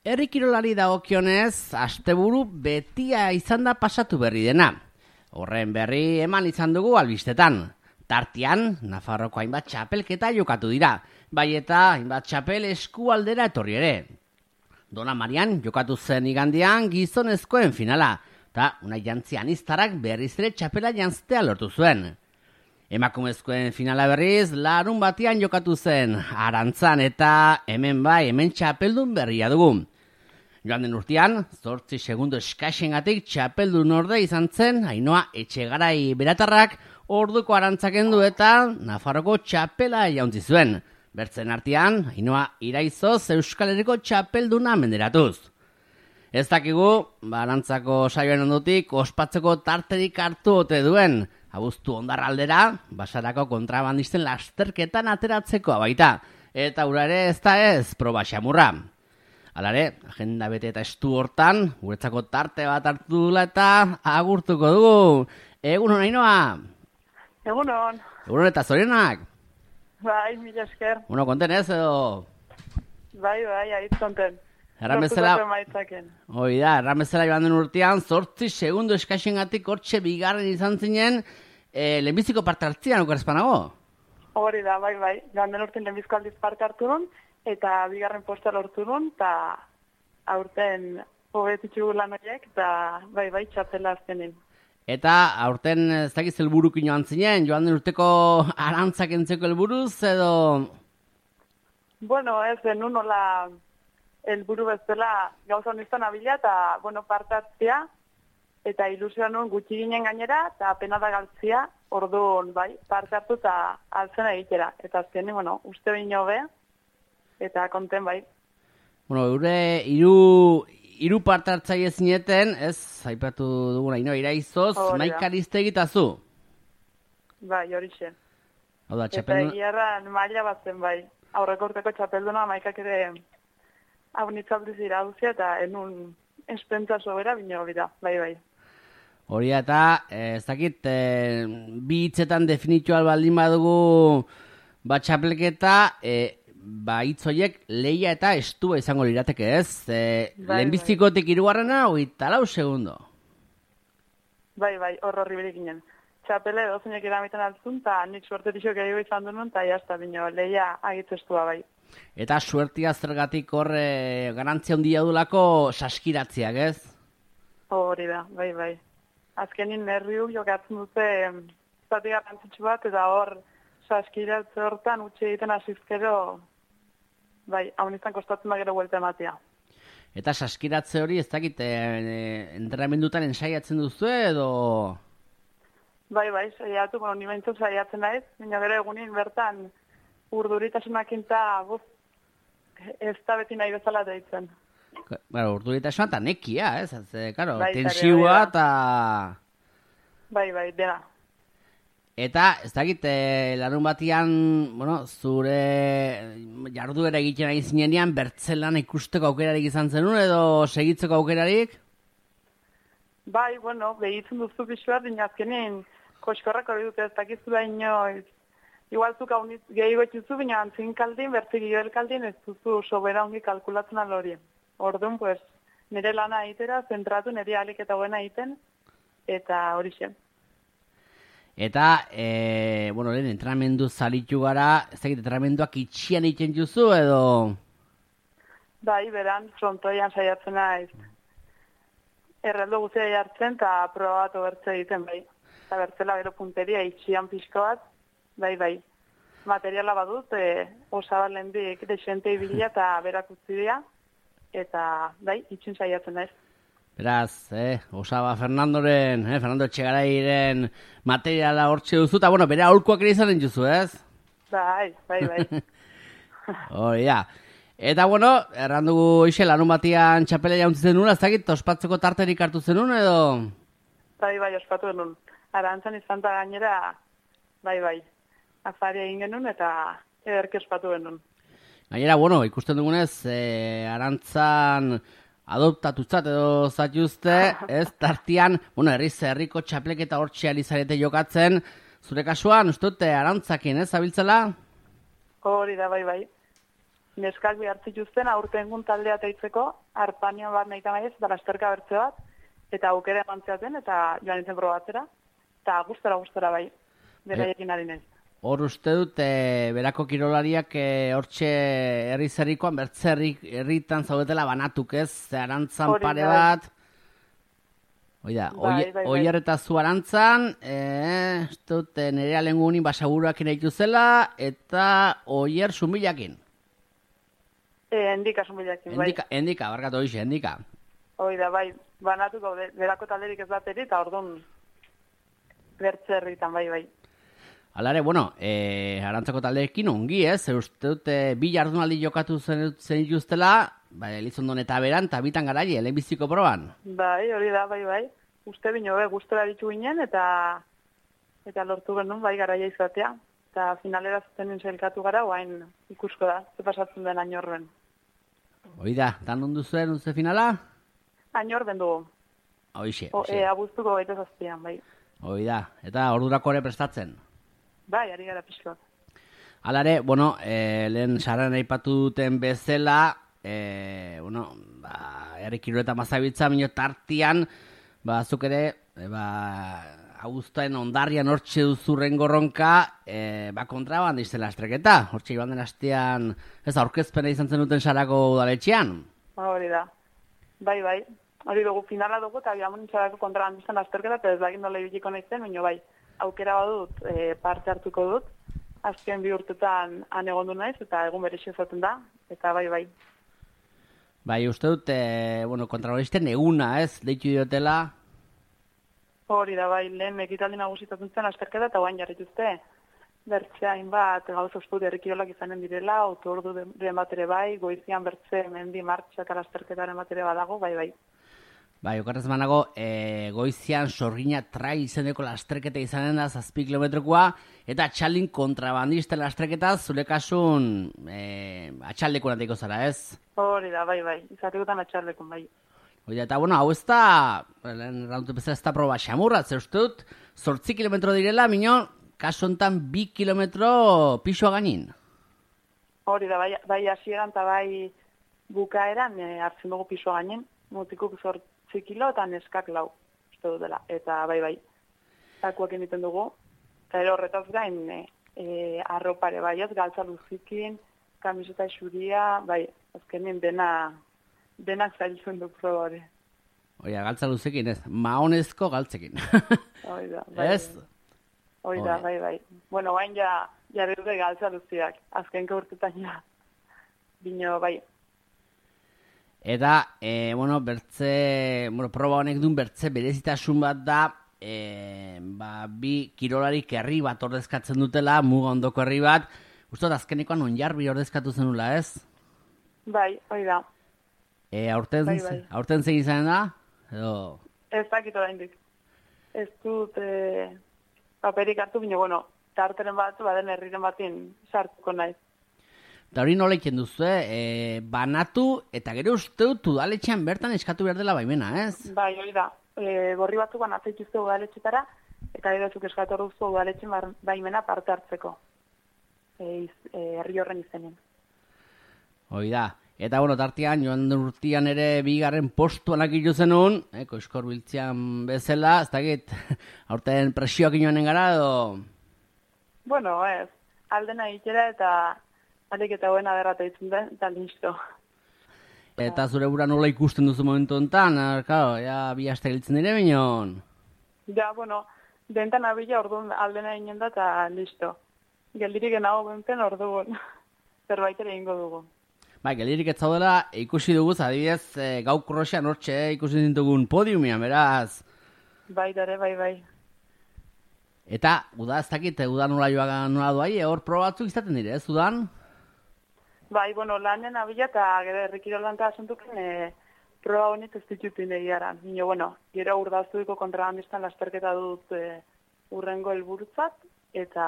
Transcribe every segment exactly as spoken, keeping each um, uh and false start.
Herri kirolari dagokionez, asteburu betia izan da pasatu berri dena. Horren berri eman izan dugu albistetan. Tartean, Nafarroko hainbat txapelketa jokatu dira, bai eta hainbat txapel eskualdera etorri ere. Dona Marian jokatu zen igandean gizonezkoen finala, eta Unai Jantzi Aniztarak berriz ere txapela janztea lortu zuen. Emakumezkoen finala berriz, larun batean jokatu zen, Arantzan eta hemen bai, hemen txapeldun berria dugu. Joan den urtean, zortzi segundo eskaxengatik txapeldun orde izan zen, Ainhoa Etxegarai Beratarrak orduko Arantzak du eta Nafarroko txapela jauntzi zuen. Bertzen artean, Ainhoa Iraizoz Euskal Herriko txapelduna menderatuz. Ez dakigu, Arantzako saioen ondotik ospatzeko tarterik hartu ote duen. Abuztu ondarraldera, basarako kontrabandisten lasterketan ateratzeko baita. Eta ura ere ez da ez, proba xamurra. Halare, agenda bete eta estu hortan, guretzako tarte bat hartu dula eta agurtuko dugu. Egunon, Ainhoa? Egunon. Egunon eta zorionak? Bai, mila esker. Bueno, konten ez edo? Bai, bai, ahit konten. Erramezela, hoi da, erramezela joan den urtean, zortzi segundo eskaxengatik hortxe bigarren izan zinen, e, lehenbiziko parte hartzian okarezpanago? Hori da, bai, bai. Joan den urtean lehenbiziko aldiz parte hartu duen, eta bigarren posta lortu duen, eta aurten hobetitxu lan horiek, eta bai, bai, txapela azkenin. Eta aurten ez dakiz helburukin joan zinen, joan den urteko Arantzak entzeko helburuz, edo? Bueno, ez denun nola helburu bezala gauza honistan abila, eta, bueno, parte hartzia, eta ilusioa nuen gutxi ginen gainera, eta pena da galtzia, orduan, bai, parte hartu eta altzena egitera. Eta azkenin, bueno, uste behin hobe, eta konten, bai. Bueno, eure hiru hiru parte hartzaile zineten, ez, aipatu duguna, Ainhoa Iraizoz, Maika Aristegi eta zu. Bai, hori xe. Hau da, eta txapeldun... egiarran maila bat zen, bai. Aurreko urteko txapelduna Maikak ere hau nitzaldiz iraduzia, eta enun espentza sobera bine hori da, bai, bai. Hori eta, ez dakit, e, bi hitzetan definitual baldin badugu bat txapelketa, e, ba hitzoiek leia eta estua izango lirateke, ez? E, bai, lehenbiztikotik hirugarrena, hogeita lau segundo. Bai, bai, hor horri berik ginen. Txapele dozenek eramitan altzun, eta nik suerte tixo gehiago izan duen, eta jazta bine, leia agitestua, bai. Eta suertia zergatik hor e, garantzia handia dulako saskiratziak, ez? Hori da, bai, bai. Azkenin nerriuk jokatzen dute zati garrantzitsu bat, eta hor saskiratze hortan utxe egiten asizkero, bai, hau izan kostatzen da gero buelta ematea. Eta saskiratze hori ez dakit, e, e, entrenamendutan ensaiatzen duzu edo? Bai, bai, saiatu, bueno, nimentu saiatzen naiz, baina gero egunin bertan urduritasunak inta buz, ez da beti nahi bezala deitzen. Bueno, urduritasuna eta nekia, ez? Ez, karo, bai, tensiua eta... Bai, bai, dena. Eta, ez dakit, e, larun batian, bueno, zure jarduera egiten ari zinean, bertzelan ikusteko aukerarik izan zenun, edo segitzeko aukerarik? Bai, bueno, behitzen duzu pixuat, dina azkenin koskorrak hori dute ez dakizu da inoiz. Igual zuk hauniz gehiago etxuzu, baina antzin kaldin, bertzik gio kaldin ez duzu sobera ongi kalkulatzen alori. Orduan, pues, nire lana egitera, zentratu nire alik eta buena egiten, eta hori zen. Eta, e, bueno, lehen, entrenamendu zalitu gara, ez dakit, entrenamenduak itxian egiten duzu, edo? Bai, beran, frontoian saiatzen naiz. Erreldo guztia jartzen, eta proba bat obertze egiten, bai. Eta bertzela gero punteria itxian pixko bat, bai, bai. Materiala badut, e, osaba lehendik desente ibilia eta berak utzi dira, eta, bai, itxin saiatzen naiz. Beraz, eh, osaba Fernandoren, eh, Fernando Etxegarairen materiala hortxe duzu, eta, bueno, bere aholkuak ere izanen duzu, ez? Bai, bai, bai. Hori, ja. Eta, bueno, errandugu ixe, larun batian txapela jauntzitzen nuen, ez dakit, ospatzeko tarterik hartu zenun, edo? Bai, bai, ospatu genuen. Arantzan izan eta gainera, bai, bai, afaria egin genuen eta ederki ospatu genuen. Gainera, bueno, ikusten dugunez, e, Arantzan adoptatutzat edo zatuzte, ez, tartian, bueno, herriz herriko txapleketa hortxe alizarete jokatzen, zure kasuan, uste dute Arantzakin, ez, abiltzela? Hori da, bai, bai. neskak behar zituzten aurtengun taldea teitzeko, arpania bat nahi tamaiez, eta lasterka bertze bat, eta aukera eman zeaten, eta joan nintzen probatzera, eta gustora gustora bai, beraiekin ari naiz. Hor uste dut, e, berako kirolariak e, hortxe herri zerrikoan, bertze herritan zaudetela banatuk ez, ze arantzan Hori pare da. bat. Oida, Bai, bai, bai. oier eta zu arantzan, e, uste dut, e, nire alengunin basaburuakin eituzela, eta oier sumilakin. E, endika sumbilakin, bai. Endika, endika, barkatu hoxe, endika. Hoi da, bai, banatuko de- berako talderik ez bateri, eta orduan bertze herritan, bai, bai. Alare, bueno, e, arantzako taldeekin ongi, ez? Zer uste dute bi jardunaldi jokatu zen, zen dituztela, ba, Elizondon eta beran, eta bitan garaile, lehenbiziko proban. Bai, hori da, bai, bai. Uste bino, be, gustora ditu ginen, eta eta lortu genuen, bai, garaia izatea. Eta finalera zuten sailkatu gara, guain ikusko da, ze pasatzen den ainorben. Hoi da, tan ondu zuen, uste finala? Ainorben dugu, Hoixe, o, hoixe. e, abuztuko gaita zazpian, bai. Hoi da, eta ordurako ere prestatzen. Bai, ari gara pixko. Alare, bueno, e, lehen saran aipatu duten bezala, e, bueno, ba, herri kirol eta mazabitza, minio tartian, ba, zuk ere, e, ba, Augustaren ondarrian hortxe duzurren gorronka, e, ba, kontrabandisten lastreketa. Hortxe joan den astean, ez aurkezpena izan zen duten sarako udaletxean. Ba, hori da. Bai, bai. Hori dugu finala dugu, eta biamon itxarako kontrabandisten lasterketa, eta ez dakit nola ibiliko nahizen, baina bai, aukera badut, e, parte hartuko dut. Azken bi urtetan han egondu naiz, eta egun berexio izaten da, eta bai, bai. Bai, uste dut, e, bueno, kontrabandisten eguna, ez, deitu diotela. Hori da, bai, lehen ekitaldi nagusitatzen zen lasterketa, eta guain jarrituzte. Bertzea hainbat, gauz osput herrikirolak izanen direla, autoordu den bat ere bai, goizian bertze mendi martxa eta lasterketaren bat ere badago, bai, bai. Bai, okarrez banago, e, goizian sorgina trai izeneko lasterketa izanen da zazpi kilometrokoa, eta txaldin kontrabandisten lasterketa zure kasun e, atxaldeko natiko zara, ez? Hori da, bai, bai, izatekotan atxarlekun, bai. Oida, eta bueno, hau ez da, lehen rauntu bezala ez da proba xamurra, zer uste dut, zortzi kilometro direla, mino, kasu honetan bi kilometro pixoa gainin. Hori da, bai, bai hasieran eta bai bukaeran e, hartzen dugu piso gainen, mutikuk zortzi kilo eta neskak lau, uste dut dela, eta bai, bai, takuak egiten dugu, eta ero horretaz gain, e, e, arropare bai, ez, galtza luzikin, kamiseta xuria, bai, azkenin dena, denak zailtzen du proba hori. Oia, galtza luzekin ez, maonezko galtzekin. Hori da, bai. Ez? Hori da, Hori. bai, bai. Bueno, bain ja, jarri dute galtza luziak, azkenko urtetan ja, bino, bai. Eta, e, bueno, bertze, bueno, proba honek duen bertze berezitasun bat da, e, ba, bi kirolarik herri bat ordezkatzen dutela, muga ondoko herri bat, uste azkenekoan onjarbi ordezkatu zenula, ez? Bai, hori da. E, aurten, Bai, bai. aurten zein izan da? Edo, Ez dakit oraindik. Ez dut e, paperik hartu, bino, bueno, tarteren bat, baden herriren batin sartuko naiz. eta hori nola iken duzu, e, banatu, eta gero uste dut udaletxean bertan eskatu behar dela baimena, ez? Bai, hori da. E, gorri batzuk banatzen dituzte udaletxetara, eta gero zuk eskatu duzu udaletxen bar- baimena parte hartzeko. E, iz, e, herri horren izenean. Hoi da. Eta, bueno, tartian, joan den urtian ere bigarren postuan akitu zenun, eh, koizkor biltzean bezala, ez dakit, aurten presioak inoanen gara, edo... Bueno, ez, aldena itxera eta alik eta buena derrata ditzen den, eta listo. Eta zure bura nola ikusten duzu momentu honetan, er, claro, ja, bi aste giltzen dire binon. Ja, bueno, dentan abila orduan aldena inen da eta listo. Geldirik genago benten orduan, zerbait ere ingo dugu. Bai, gelirik ez zaudela, ikusi dugu, adibidez, e, gau kroxean hortxe, eh, ikusi dintugun podiumian, beraz. Bai, dare, bai, bai. Eta, uda ez dakit, uda nola joa nola doai, hor proba batzuk izaten dire, ez, udan? Bai, bueno, lanen abila eta gero errikirolan eta asuntuken e, proba honit ez ditutin egiaran. Nino, bueno, gero urdaztuiko kontrabandistan lasterketa dut e, urrengo helburutzat eta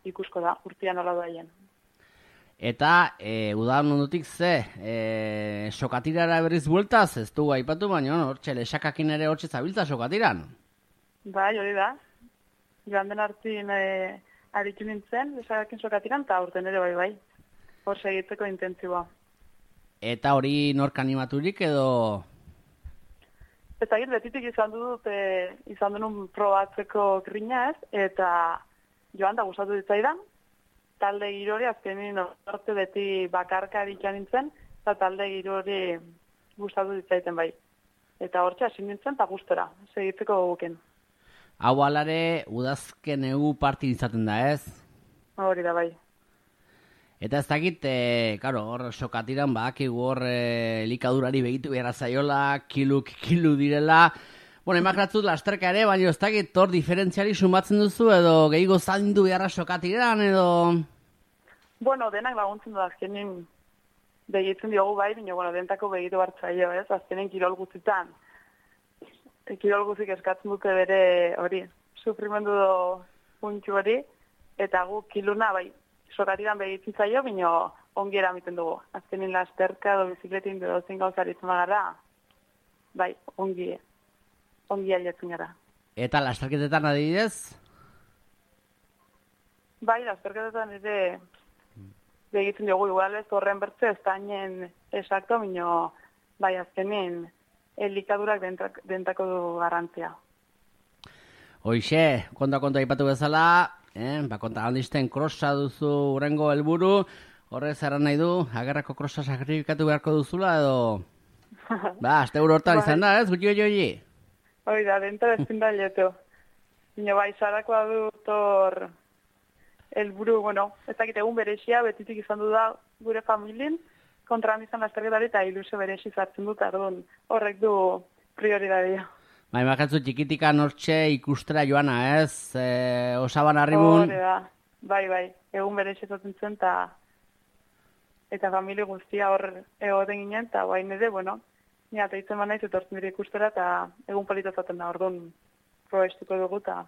ikusko da, urtean nola doaien. Eta, e, udan ondotik ze, e, sokatirara berriz bueltaz, ez du aipatu, baina, no, hortxe, lesakakin ere hortxe zabiltza sokatiran. Bai, hori da. Joan den hartin e, aritu nintzen, lesakakin sokatiran, eta urten ere bai, bai. Hor segitzeko intentzioa. Eta hori nork animaturik edo... Eta egin, betitik izan dut, e, izan denun probatzeko grina ez, eta joan da gustatu ditzaidan, talde girori azkenin orte beti bakarkari nintzen, eta talde girori gustatu ditzaiten bai. Eta hortxe hasi nintzen eta gustora, segitzeko guken. Hau alare, udazken egu partin izaten da ez? Hori da bai. Eta ez dakit, e, karo, hor sokatiran badakigu hor e, elikadurari begitu behar zaiola, kiluk kilu direla. Bueno, emakratzut lasterka ere, baina ez dakit hor diferentziari sumatzen duzu edo gehiago zaindu beharra sokatiran edo... Bueno, denak laguntzen du azkenin begitzen diogu bai, baina bueno, dentako begitu hartzaio, ez? Azkenin kirol guztitan. Kirol guztik eskatzen dute bere hori, sufrimendu do puntxu hori, eta gu kiluna bai, sokatiran begitzen zaio, baina ongi eramiten dugu. Azkenin lasterka edo bizikletin edo zein gauzaritzen gara, bai, ongi, ongi ailetzen gara. Eta lasterketetan adibidez? Bai, lasterketetan ere begitzen dugu igual ez horren bertze ez dainen esakto, baina bai azkenin elikadurak dentak, dentako du garrantzia. Hoixe, konta-konta ipatu bezala, eh, ba, konta handizten krosa duzu urrengo helburu, horrez erran nahi du, agerrako krosa sakrifikatu beharko duzula edo... Ba, azte euro hortan izan da, ez, gutxi hori? Hoi da, denta bezin da leto. Ino bai, sarakoa dut hor helburu, bueno, ez dakit egun berexia, betitik izan du da gure familin, kontra handizan lasterketari eta ilusio berexi zartzen dut, ardun horrek du prioridadia. Ba, imakatzu txikitika nortxe ikustera joana, ez? E, Osaban arribun... Hore da, bai, bai, egun berexi zaten zen, eta eta familie guztia hor egoten ginen, eta guain ere, bueno, nire ateitzen manaiz, etortzen dira ikustera, eta egun polita zaten da, orduan probestuko dugu, eta...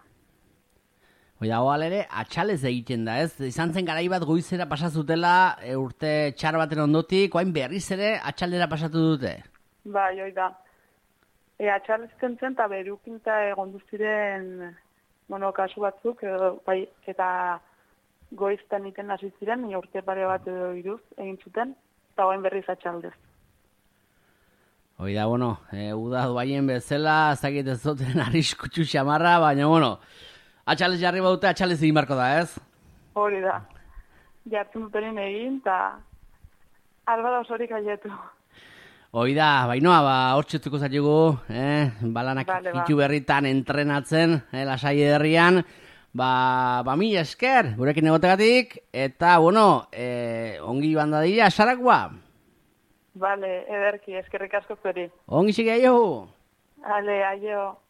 Oida, hoal ere, atxalez egiten da, ez? Izan zen garai bat goizera pasazutela, e, urte txar baten ondotik, oain berriz ere atxaldera pasatu dute. Bai, hoi da. E, atxalez zen zen, eta berukinta egon duztiren, bueno, kasu batzuk, edo, bai, eta goiztan iten hasi ziren, ni urte pare bat edo iruz egin zuten, eta oain berriz atxaldez. Oida, bueno, e, uda duaien bezala, ez dakit ez duten arriskutsu xamarra, baina, bueno, atxalez jarri baute, atxalez egin barko da, ez? Hori da. Jartzen dutenen egin, eta alba da osorik aietu. Oida, bainoa, ba, hortxetuko zailugu, eh? Balanak vale, hitu berritan entrenatzen, eh, lasai herrian, ba, ba mila esker, gurekin egotegatik, eta, bueno, eh, ongi joan da dira, sarakoa? Vale, ederki, eskerrik asko zuri. Ongi zige aio! Ale, aio.